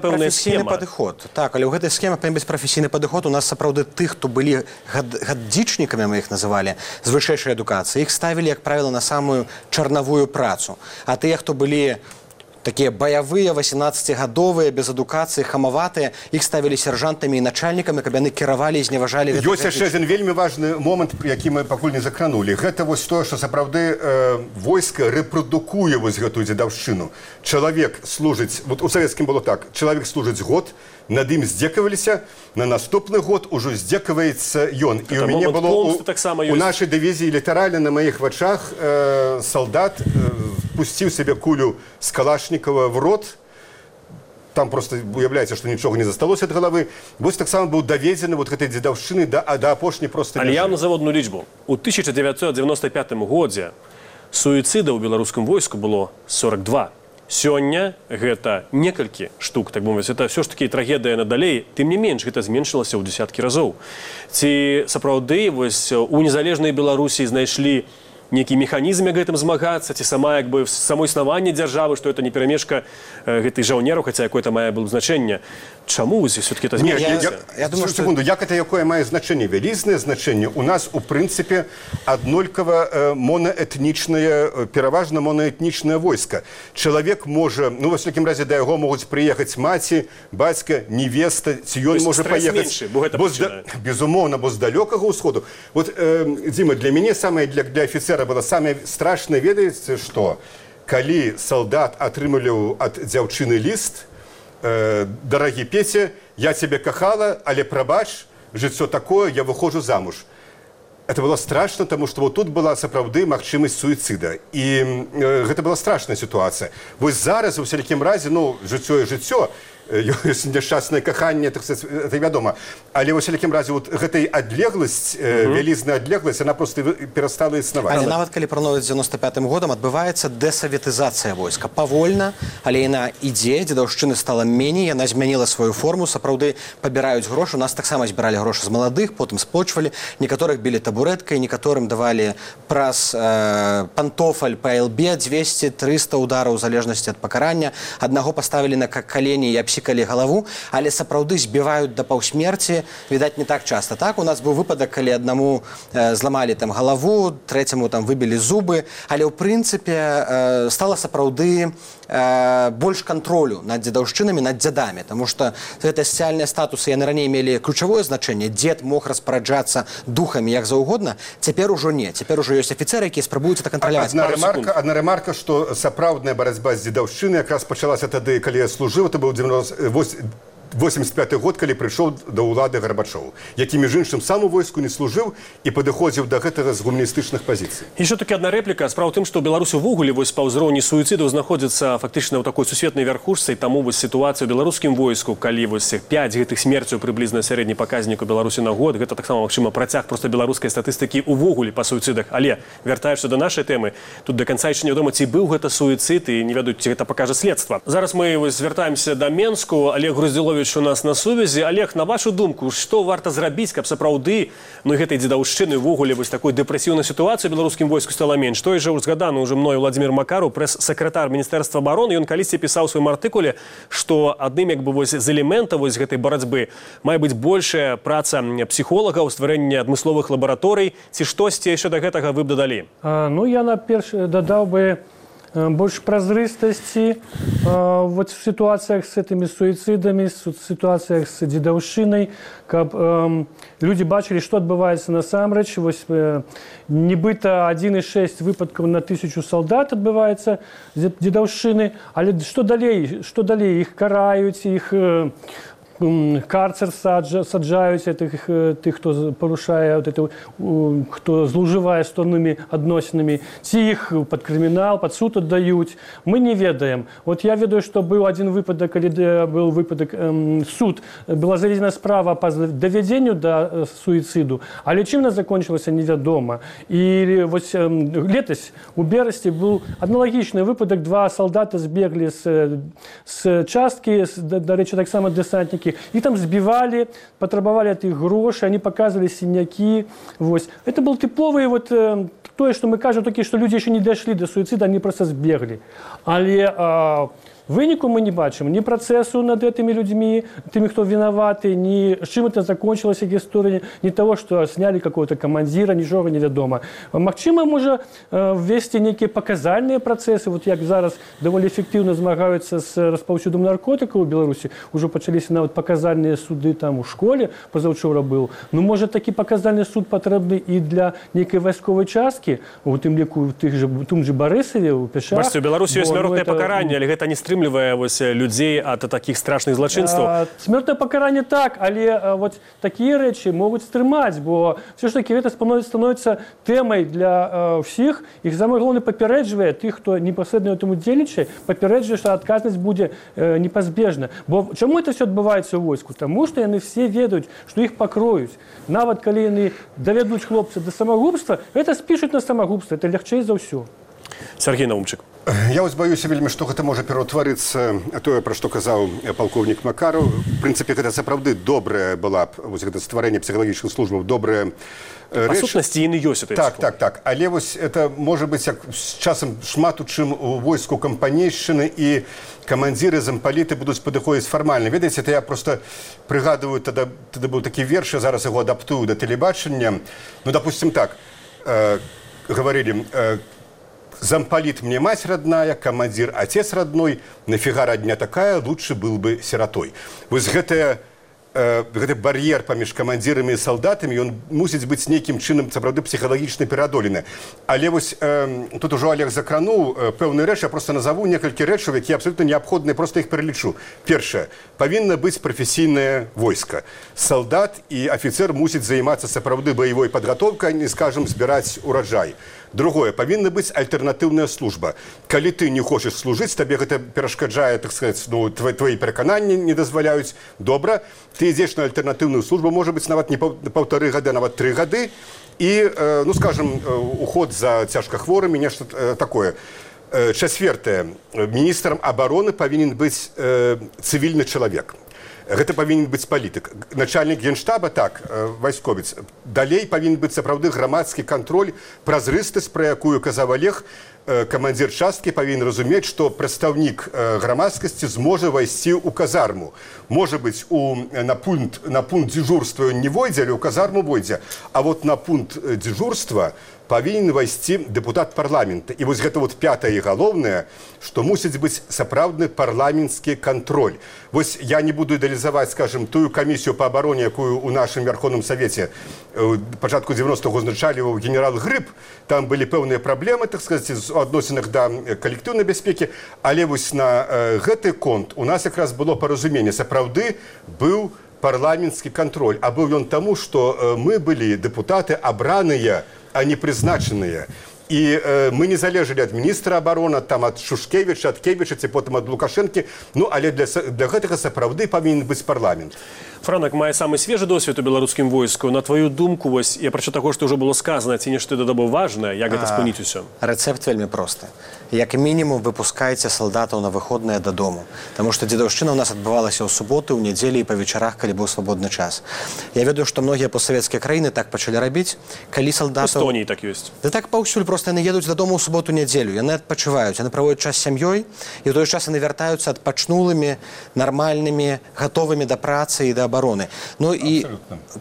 пэўная прафесійны схема. падыход. Так, але ў гэтай схеме павінен быць прафесійны падыход. У нас сапраўды тых, хто былі гадзічнікамі, мы іх называлі, з вышэйшай адукацыі, іх ставілі, як правіла, на самую чарнавую працу. А тыя, хто былі такія баявыя, 18-гадовыя, без адукацыі, хамаватыя, іх ставілі сержантамі і начальнікамі, каб яны кіравалі і зневажалі... Ёсць яшчэ адзін вельмі важны момант, які мы пакуль не закранулі. Гэта вось тое, што сапраўды войска рэпрадукуе вось гэтую дзедаўшчыну. Чалавек служыць, вот у савецкім было так, чалавек служыць год, над ім здзекаваліся, на наступны год ужо здзекаваецца ён. І у мяне было у нашай дывізіі літаральна на маіх вачах салдат пусціў сабе кулю з калашнікава в рот. Там просто уяўляецца, што нічога не засталося ад галавы. Вось таксама быў даведзены вот гэтай дзедаўшчыны да апошняй проста... Але я назову одну лічбу. У 1995 годзе суіцыдаў у беларускім войску было 42. Сёння гэта некалькі штук, так бы мовіць, это все ж таки трагедыя надалей, тым не менш гэта зменшылася ў дзесяткі разоў. Ці сапраўды вось у незалежнай Беларусі знайшлі нейкі механізм як гэтым змагацца, ці сама як бы само існаванне дзяржавы, што это не перамешка гэтых жаўнераў, хаця якое-то мае было значэнне. Чаму все-таки это зменшылася? Я думаю, секунду, як это якое мае значэнне? Вялізнае значэнне. У нас, у прынцыпе, аднолькава монаэтнічнае, пераважна монаэтнічнае войска. Чалавек можа, ну, во всякім разе, да яго могуць прыехаць маці, бацька, невеста, ці ён можа паехаць. Безумоўна, бо з далёкага ўсходу. Вот, Дзіма, для мяне самае, для афіцера было самае страшнае, ведаеце, што? Калі салдат атрымліваў ад дзяўчыны ліст, «Дорогий Петя, я тебя кахала, але прабач, жыццё такое, я выхожу замуж». Это было страшно, потому что вот тут была сапраўды магчымасць суіцыда. І гэта была страшная ситуация. Вось зараз, у всякім разе, ну, жыццё і жыццё, ёсць няшчаснае каханне, это вядома. Але ў всякім разе вот гэтай адлегласць, вялізная адлегласць, она просто перастала існаваць. Але нават калі параўноўваць з 95-м годам, адбываецца дэсаветызацыя войска. Павольна, але яна ідзе, дзедаўшчыны стала меней, яна змяніла сваю форму, сапраўды пабіраюць грошы. У нас таксама збіралі грошы з маладых, потым сплочвалі, некаторых білі табурэткай, некаторым давалі праз пантофаль па ЛБ 200-300 удараў у залежнасці ад пакарання. Аднаго паставілі на калені і абсікалі галаву, але сапраўды збіваюць да паўсмерці, відаць, не так часта. Так, у нас быў выпадак, калі аднаму зламалі там галаву, трэцяму там выбілі зубы, але ў прынцыпе стала сапраўды больш кантролю над дзедаўшчынамі, над дзядамі, таму што гэтыя сацыяльныя статусы яны раней мелі ключавое значэнне. Дзед мог распараджацца духамі як заўгодна, цяпер ужо не. Цяпер ужо ёсць афіцэры, якія спрабуюць это кантраляваць. Адна ремарка, што сапраўдная барацьба з дзедаўшчынай якраз пачалася тады, калі я служыў, это быў 85 год, калі прыйшоў да ўлады Гарбачоў, які, між іншым, сам у войску не служыў і падыходзіў да гэтага з гуманістычных пазіцый. Яшчэ такі адна рэпліка. Справа ў тым, што Беларусь увогуле вось па ўзроўні суіцыдаў знаходзіцца фактычна ў такой сусветнай вярхушцы, і таму вось сітуацыя ў беларускім войску, калі вось 5 гэтых смерцяў прыблізна сярэдні паказнік у Беларусі на год, гэта таксама, магчыма, працяг проста беларускай статыстыкі увогуле па суіцыдах. Але, вяртаючыся да нашай тэмы, тут да канца яшчэ невядома, ці быў гэта суіцыд, і не ведаюць, ці гэта пакажа следства. Зараз мы вось звяртаемся да Менску. Олег Груздзіловіч у нас на сувязі. Олег, на вашу думку, што варта зрабіць, каб сапраўды, ну, гэтай дзедаўшчыны увогуле вось такой дэпрэсіўнай сітуацыі ў беларускім войску стала менш? Той жа узгаданы ўжо мною Владзімір Макараў, прэс-сакратар Міністэрства абароны, ён калісьці пісаў у сваім артыкуле, што адным як бы вось з элементаў вось гэтай барацьбы мае быць большая праца псіхолагаў, стварэнне адмысловых лабараторый, ці штосьці яшчэ да гэтага вы б дадалі? Ну, я наперш дадаў бы больше празрыстасці вот в ситуациях с этими суицидами, в ситуациях с дзедаўшчынай, каб люди бачылі, што адбываецца насамрэч. Вось нібыта 1,6 выпадкаў на 1000 солдат адбываецца дзедаўшчыны, але што далей? Іх караюць, іх карцер саджаюць тых, хто парушае, хто злоўжывае стоннымі адносінамі, ці іх пад крымінал, пад суд аддаюць. Мы не ведаем. Вот я ведаю, што быў адзін выпадак, калі быў выпадак суд, была заведзена справа па давядзенню да суіцыду, але чым она закончылася, невядома. І вось летась у берасці быў аналагічны выпадак. 2 салдата збеглі з часткі, дарэчы, таксама дэсантнікі, их там сбивали, потребовали от их гроши, они показывали синяки. Вот. Это был типовый вот то, что мы кажем, только что люди еще не дошли до суицида, они просто сбегли. Але выніку мы не бачым ні працэсу над гэтымі людзьмі, тымі, хто вінаваты, ні з чым это закончылася гісторыя, ні того, што снялі какого-то камандзіра, нічога невядома. Магчыма, можа ввесці нейкія паказальныя працэсы, вот як зараз даволі эфектыўна змагаюцца з распаўсюдам наркотыкаў у Беларусі, ужо пачаліся нават паказальныя суды там у школе, пазаўчора быў. Ну, можа, такі паказальны суд патрэбны і для нейкай вайсковай часткі, у тым ліку у тым же Барысаве, у Пяшах. Бачце, у Беларусі ёсць смяротнае пакаранне, але гэта не стрымлівае людзей ад такіх страшных злачынстваў. Смертное покарание так, але вот такие речи могут стрымаць, бо все ж таки это становится темой для всех. Их самое главное папярэджвае тых, хто непасрэдна этому дзейнічае, папярэджвае, што адказнасць будзе непазбежна. Бо чаму это все адбываецца ў войску? Таму што яны все ведаюць, што іх пакроюць. Нават калі яны давядуць хлопца да самагубства, это спішуць на самагубства, это лягчэй за ўсё. Сергей Наумчык. Я вось баюся вельмі, што гэта можа пераўтварыцца тое, пра што казаў палкоўнік Макараў. В прынцыпе, гэта сапраўды добрая была б, вось гэта стварэнне псіхалагічных службаў, добрая рэч. Па сутнасці, яны ёсць. Так. Але вось это можа быць, як з часам шмат у чым у войску кампанейшчыны і камандзіры, зампаліты будуць падыходзіць фармальна. Ведаеце, это я проста прыгадываю, тады быў такі верш, я зараз яго адаптую да тэлебачання. Ну, допустим, так, говорили... Замполит мне мать родная, командир отец родной, нафига родня такая, лучше был бы сиротой. Вот гэты бар'ер паміж камандзірамі і салдатамі, ён мусіць быць нейкім чынам, сапраўды, псіхалагічна пераадолены. Але вось тут ужо Олег закрануў пэўную рэч, я проста назову некалькі рэчаў, якія абсолютно неабходныя, проста іх пералічу. Першае, павінна быць прафесійнае войска. Салдат і афіцер мусіць займацца сапраўды баявой падгатоўкай, не скажам, збіраць ураджай. Другое, павінна быць альтэрнатыўная служба. Калі ты не хочаш служыць, табе гэта перашкаджае, так сказаць, ну, твои перакананні не дазваляюць. Добра, ты ідзеш на альтэрнатыўную службу, можа быць, нават не 1,5 гады, нават 3 гады, і, ну, скажем, уход за цяжкахворымі, нешта такое. Чацвёртае, міністрам абароны павінен быць цывільны чалавек. Гэта павінен быць палітык. Начальнік генштаба, так, вайсковец. Далей павінен быць сапраўды грамадскі кантроль, празрыстасць, пра якую казаў Олег, камандзір часткі павінен разумець, што прадстаўнік грамадскасці зможа вайсці ў казарму. Можа быць, на пункт дзежурства не войдзе, але ў казарму войдзе. А вот на пункт дзежурства павінен вайсці дэпутат парламента. І вось гэта вот пятае і галоўнае, што мусіць быць сапраўдны парламенtsкі кантроль. Вось я не буду ідэалізаваць, скажем, тую камісію па абароне, якую ў нашым Верховным Савеце пачатку 90-х узначаліваў генерал Грыб. Там былі пэўныя праблемы, так сказаць, у адносінах да калектыўнай бяспекі. Але вось на гэты конт у нас якраз было паразуменне. Сапраўды быў парламенtsкі кантроль. А быў ён таму, што мы былі дэпутаты абраныя, а не прызначаныя. І мы не залежалі ад міністра абароны, там ад Шушкевіча, ад Кевіча, ці потым ад Лукашэнкі. Ну, але для гэтага сапраўды павінен быць парламент. Франак мае самы свежы досвед у беларускім войску. На твою думку, вось, я прачу таго, што ўжо было сказана, ці нешта дадабо важнае, як гэта спыніць усё? Рэцэпт вельмі просты. Як мінімум выпускайце салдатаў на выходныя дадому. Таму што дзедаўшчына ў нас адбывалася ў суботы, ў нядзелі і па вечарах, калі быў свабодны час. Я ведаю, што многія постсавецкія краіны так пачалі рабіць, калі салдатаў... Эстоніі так ёсць. Да так паўсюль, проста яны едуць дадому ў суботу-нядзелю, яны адпачываюць, яны праводзяць час з сям'ёй, і ў той час яны вяртаюцца адпачнулымі, нармальнымі, гатовымі да працы і да абароны. Ну і...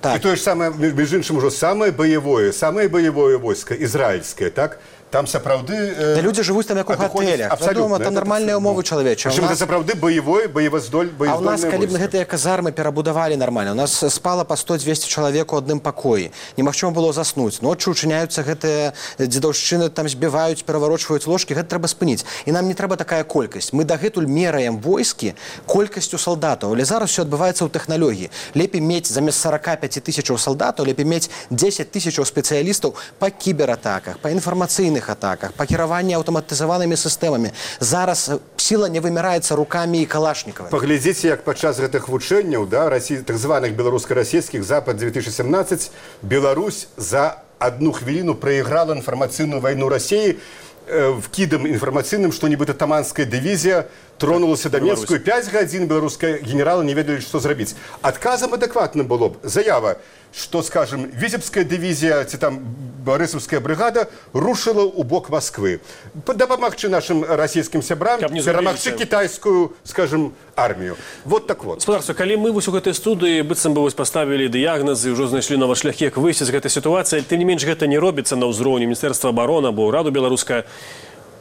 Так. І тое ж самае, між іншым, ужо самае баявое войска, ізраільскае, так? Там сапраўды... Да людзі жывуць там як у гатэлях. Вядома, там нармальныя умовы чалавечыя. Прычым гэта сапраўды боездольная войска. А ў нас, калі б гэтыя казармы перабудавалі нармальна, у нас спала па 100-200 чалавек у адным пакоі. Немагчыма было заснуць. Ноччу ўчыняюцца гэтыя дзедаўшчыны, там збіваюць, пераварочваюць ложкі. Гэта трэба спыніць. І нам не трэба такая колькасць. Мы дагэтуль мераем войскі колькасцю салдатаў. Але зараз все адбываецца ў тэхналогіі. Лепей мець замест 45 тысячаў салдатаў, лепей мець 10 тысячаў спецыялістаў па кібератаках, па інфармацыйных атаках, па кіраванні аўтаматызаванымі сістэмамі. Зараз сіла не вымяраецца рукамі і калашнікавымі. Паглядзіце, як падчас гэтых вучэнняў, да, так званых беларуска-расійскіх Запад-2017, Беларусь за 1 хвіліну прайграла інфармацыйную вайну Расіі вкідам інфармацыйным, што нібыта таманская дывізія тронулася да Мінску, 5 гадзін беларускія генералы не ведалі, што зрабіць. Адказам адэкватным было б заява, что, скажем, Витебская дивизия, ці там Борисовская бригада рушила у бок Москвы. Дапамагчы нашим российским сябрам перамагчы китайскую, скажем, армию. Вот так вот. Спадарство, калі мы вось у гэтай студыі быццам бы вось паставілі дыягназы, ўжо знайшлі новыя шляхі, як выйсці з гэтай сітуацыі, тым не менш гэта не робіцца на ўзроўні Міністэрства абароны або ўраду беларускага.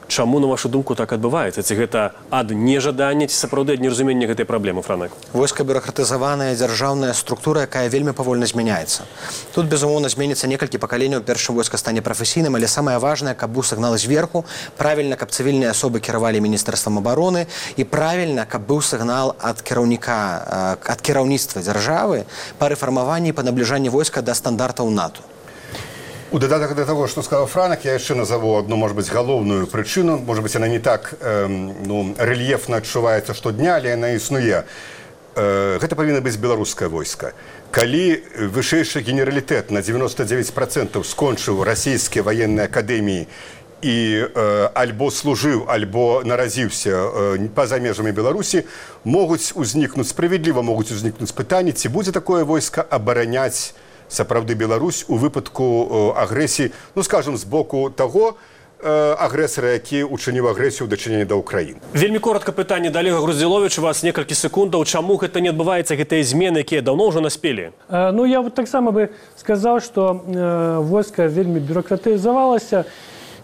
Чаму, на вашу думку, так адбываецца? Ці гэта ад нежадання, ці сапраўды ад неразумення гэтай праблемы, Франак? Войска бюракратызаваная дзяржаўная структура, якая вельмі павольна змяняецца. Тут, безумоўна, зменіцца некалькі пакаленняў, першым войска стане прафесійным, але самае важнае, каб быў сігнал зверху, правільна, каб цывільныя асобы кіравалі Міністэрствам абароны, і правільна, каб быў сігнал ад кіраўніка, ад кіраўніцтва дзяржавы па рэфармаванні і па набліжанні войска да стандартаў НАТО. У додаток до того, что сказал Франак, я еще назову одну, может быть, головную причину. Может быть, она не так рельефно адчуваецца штодня, але она існуе. Гэта павінна быць беларускае войска. Калі вышэйшы генералітэт на 99% скончыў расійскія военныя акадэміі і альбо служыў, альбо наразіўся па-за межамі Беларусі, справядліва могуць узнікнуць пытанні, ці будзе такое войска абараняць сапраўды Беларусь у выпадку агрэсіі, ну, скажем, з боку таго агрэсара, які учыніў агрэсію ў дачыненні да Ўкраіны. Вельмі коротка пытанне да Олега Груздзіловіча, у вас некалькі секундаў. Чаму гэта не адбываецца, гэтыя змены, якія даўно ўжо наспелі? Ну, я вот таксама бы сказаў, што войска вельмі бюракратызавалася,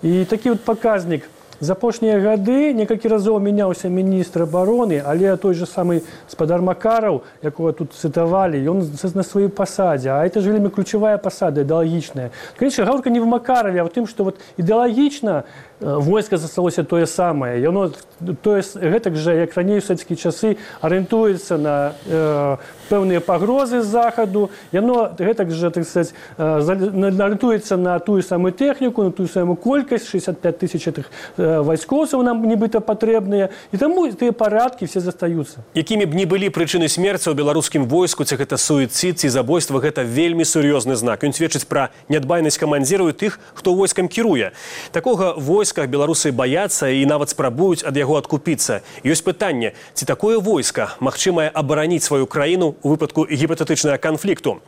і такі вот паказнік. За апошнія гады некалькі разоў мяняўся міністр абароны, але той же самы спадар Макараў, якога тут цытавалі, ён на сваёй пасадзе. А это же вельмі ключавая пасада, ідэалагічная. Конечно, гаворка не в Макараве, а в тым, што вот ідэалагічна войска засталося тое самае. Яно гэтак жа, як раней у савецкія часы, арыентуецца на пэўныя пагрозы з захаду. Яно гэтак жа, так сказать, арыентуецца на тую самую тэхніку, на тую самую колькасць, 65 тысяч этих вайскоўцаў нам нібыта патрэбныя. І таму тыя парадкі все застаюцца. Якімі б не былі прычыны смерці ў беларускім войску, ці гэта суіцид, ці забойства, гэта вельмі сур'ёзны знак. Ён сведчыць пра нядбайнасць камандзіраў і тых, хто войскам кіруе. Такога войска беларусы баяцца і нават спрабуюць ад яго адкупіцца. Ёсць пытанне, ці такое войска магчымае абараніць сваю краіну у выпадку гіпатэтычнага канфлікту?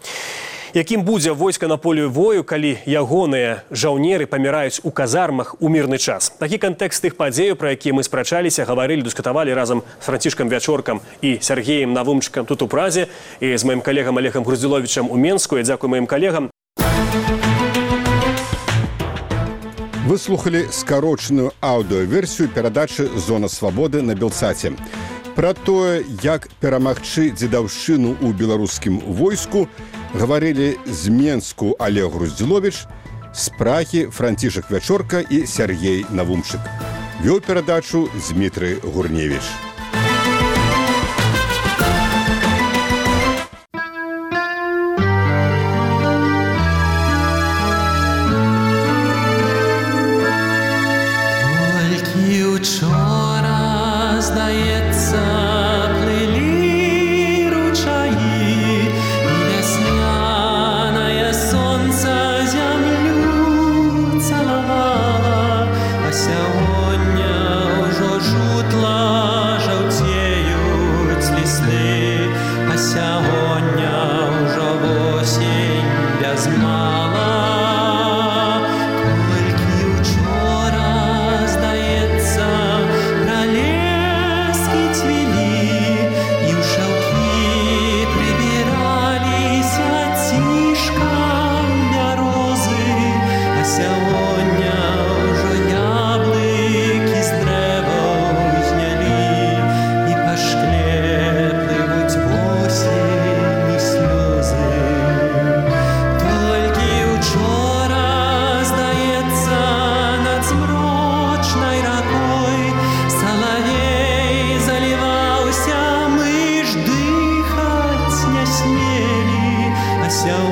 Якім будзе войска на полі бою, калі ягоныя жаўнеры паміраюць у казармах у мірны час? Такі кантэкст тых падзеяў, пра якія мы спрачаліся, гаварылі, дыскутавалі разам з Францішкам Вячоркам і Сергеем Навумчыкам тут у Празе і з маім калегам Олегам Груздзіловічам у Менску. Я дзякую маім калегам. Вы слухали скарочаную аўдыёверсію перадачы «Зона свабоды» на Белсаце. Пра тое, як перамагчы дзедаўшчыну ў беларускім войску, гаварылі з Менску Олег Груздзіловіч, з Прагі Францішак Вячорка і Сергей Навумчык. Вёў перадачу Дмітрый Гурневіч. So